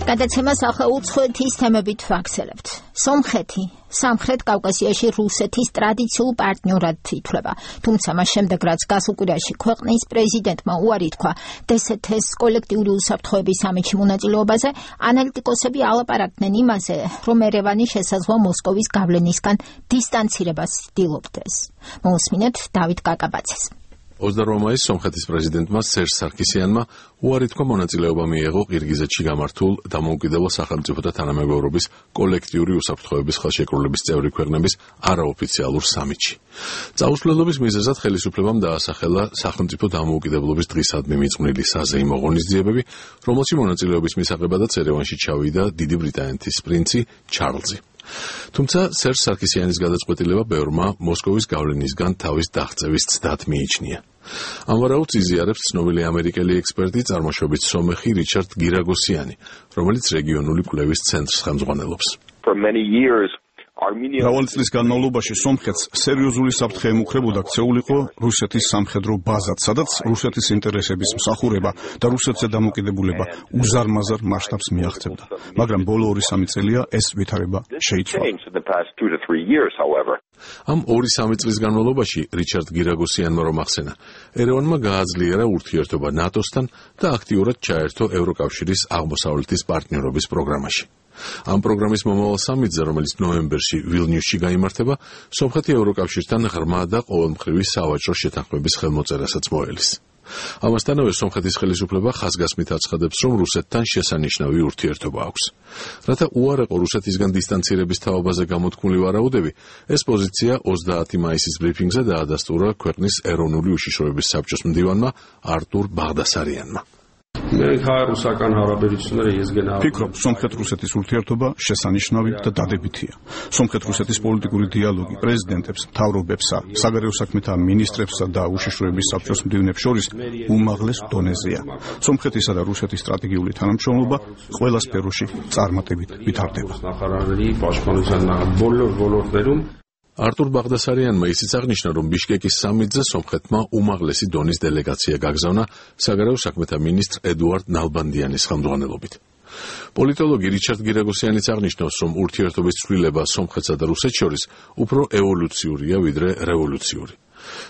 გადაცემას ახლა უცხოეთის თემებით ვაგრძელებთ. სომხეთი სამხრეთ კავკასიაში რუსეთის ტრადიციულ პარტნიორად ითვლება. თუმცა მას შემდეგ, რაც გასულ კვირაში ქვეყნის პრეზიდენტმა უარი თქვა DST-ს კოლექტიური უსაფრთხოების სამიტში მონაწილეობაზე, ანალიტიკოსები ალაპარაკდნენ იმაზე, რომ ერევანი შესაძლოა მოსკოვის გავლენისგან დისტანცირებას ცდილობდეს. მოусმინეთ დავით კაკაბაძეს. 28 მაისს სომხეთის პრეზიდენტმა სერჟ სარქისიანმა უარი თქვა მონაწილეობა მიეღო ყირგიზეთში გამართულ დამოუკიდებელ სახელმწიფოთა თანამეგობრობის კოლექტიური უსაფრთხოების ხელშეკრულების წევრი ქვეყნების არაოფიციალურ სამიტში. წაუსვლელობის მიზეზად ხელისუფლებამ დაასახელა სახელმწიფო დამოუკიდებლობის დღისადმი მიძღვნილი საზეიმო ღონისძიებები, რომელში მონაწილეობის მისაღებადაც ერევანში ჩავიდა დიდი ბრიტანეთის პრინცი ჩარლზი. თუმცა სერჟ სარქისიანის გადაწყვეტილება ბევრმა მოსკოვის გავლენისგან თავის დაღწევის ცდად მიიჩნია. ამ ვარაუდს იზიარებს ცნობილი ამერიკელი ექსპერტი წარმოშობით სომეხი რიჩარდ გირაგოსიანი, რომელიც რეგიონული კვლევის ცენტრს ხელმძღვანელობს. მრავალი წლის განმავლობაში სომხეთს სერიოზული საფრთხე ემუქრებოდა ქცეულიყო რუსეთის სამხედრო ბაზად, სადაც რუსეთის ინტერესების მსახურება და რუსეთზე დამოკიდებულება უზარმაზარ მასშტაბს მიაღწევდა. მაგრამ ბოლო 2-3 წელია ეს ვითარება შეიცვალა. ამ 2-3 წლის განმავლობაში რიჩარდ გირაგოსიანმა რომ ახსენა, ერევანმა გააძლიერა ურთიერთობა ნატოსთან და აქტიურად ჩაერთო ევროკავშირის აღმოსავლეთის პარტნიორობის პროგრამაში. ამ პროგრამის მომავალ სამიტზე, რომელიც ნოემბერში ვილნიუსში გაიმართება, სომხეთი ევროკავშირთან ღრმა და ყოველმხრივი სავაჭრო შეთანხმების ხელმოწერასაც მოელის. ამასთანავე სომხეთის ხელისუფლება ხაზგასმით აცხადებს, რომ რუსეთთან შესანიშნავი ურთიერთობა აქვს. რათა უარეყო რუსეთისგან დისტანცირების თაობაზე გამოთქმული ვარაუდები, ეს პოზიცია 30 მაისის ბრიფინგზე დაადასტურა ქვეყნის ეროვნული უშიშროების საბჭოს მდივანმა არტურ ბაღდასარიანმა. ფიქრობ, სომხეთ-რუსეთის ურთიერთობა შესანიშნავი და დადებითია. სომხეთ-რუსეთის პოლიტიკური დიალოგი პრეზიდენტებს, მთავრობებსა, საგარეო საქმეთა მინისტრებსა და უშიშროების საბჭოს მდივნებს შორის უმაღლეს დონეზეა. სომხეთისა და რუსეთის სტრატეგიული თანამშრომლობა ყველა სფეროში წარმატებით ვითარდება. არტურ ბაღდასარიანმა ისიც აღნიშნა, რომ ბიშკეკის სამიტზე სომხეთმა უმაღლესი დონის დელეგაცია გაგზავნა საგარეო საქმეთა მინისტრ ედუარდ ნალბანდიანის ხელმძღვანელობით. პოლიტოლოგი რიჩარდ გირაგოსიანიც აღნიშნავს, რომ ურთიერთობის ცვლილება სომხეთსა და რუსეთს შორის უფრო ევოლუციურია ვიდრე რევოლუციური.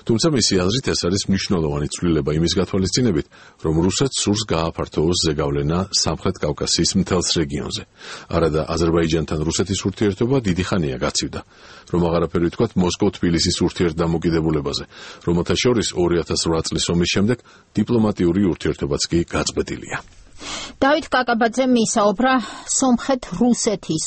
თუმცა მისი აზრით ეს არის მნიშვნელოვანი ცვლილება იმის გათვალისწინებით, რომ რუსეთს სურს გააფართოვოს ზეგავლენა სამხრეთ კავკასიის მთელს რეგიონზე. არადა აზერბაიჯანთან რუსეთის ურთიერთობა დიდი ხანია გაცივდა. რომ აღარაფერი ვთქვათ მოსკოვ-თბილისის ურთიერთდამოკიდებულებაზე, რომელთა შორის 2008 წლის ომის შემდეგ დიპლომატიური ურთიერთობაც კი გაწყვეტილია. დავით კაკაბაძემ ისაუბრა სომხეთ-რუსეთის